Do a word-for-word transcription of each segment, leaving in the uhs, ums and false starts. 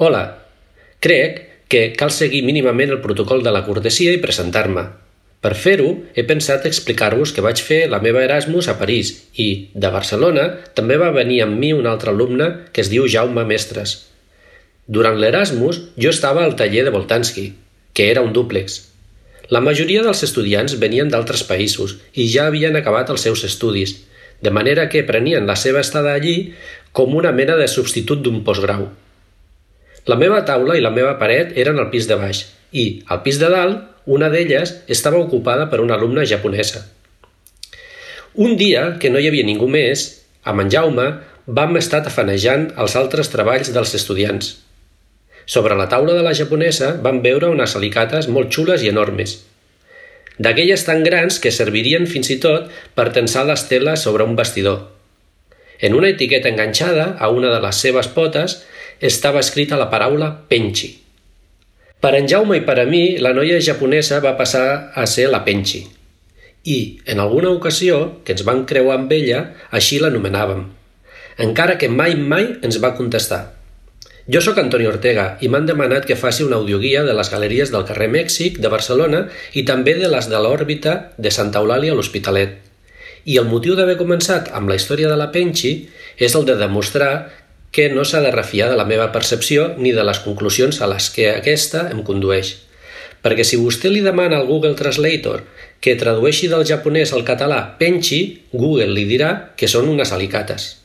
Hola, crec que cal seguir mínimament el protocol de la cortesia i presentar-me. Per fer-ho, he pensat explicar-vos que vaig fer la meva Erasmus a París i, de Barcelona, també va venir amb mi un altre alumne que es diu Jaume Mestres. Durant l'Erasmus, jo estava al taller de Boltanski, que era un dúplex. La majoria dels estudiants venien d'altres països i ja havien acabat els seus estudis, de manera que prenien la seva estada allí com una mena de substitut d'un postgrau. La meva taula i la meva paret eren al pis de baix i, al pis de dalt, una d'elles estava ocupada per una alumna japonesa. Un dia, que no hi havia ningú més, amb en Jaume vam estar tafanejant els altres treballs dels estudiants. Sobre la taula de la japonesa vam veure unes alicates molt xules i enormes, d'aquelles tan grans que servirien fins i tot per tensar les teles sobre un bastidor. En una etiqueta enganxada a una de les seves potes estava escrita la paraula Penchi. Per en Jaume i per a mi, la noia japonesa va passar a ser la Penchi. I, en alguna ocasió, que ens vam creuar amb ella, així l'anomenàvem, encara que mai mai ens va contestar. Jo sóc Antoni Ortega i m'han demanat que faci una audioguia de les galeries del carrer Mèxic de Barcelona i també de les de l'òrbita de Santa Eulàlia a l'Hospitalet. I el motiu d'haver començat amb la història de la Penchi és el de demostrar que no s'ha de refiar de la meva percepció ni de les conclusions a les que aquesta em condueix. Perquè si vostè li demana al Google Translator que tradueixi del japonès al català Penchi, Google li dirà que són unes alicates.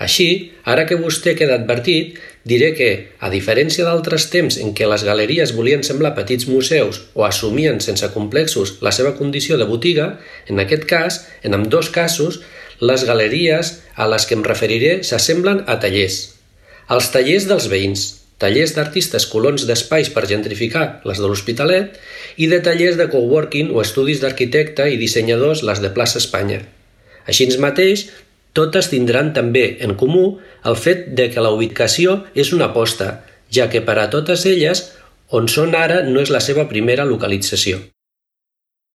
Així, ara que vostè queda advertit, diré que, a diferència d'altres temps en què les galeries volien semblar petits museus o assumien sense complexos la seva condició de botiga, en aquest cas, en ambdós casos, les galeries a les que em referiré s'assemblen a tallers. Els tallers dels veïns, tallers d'artistes colons d'espais per gentrificar les de l'Hospitalet i de tallers de coworking o estudis d'arquitecte i dissenyadors les de plaça Espanya. Així mateix, totes tindran també en comú el fet de que la ubicació és una aposta, ja que per a totes elles, on són ara no és la seva primera localització.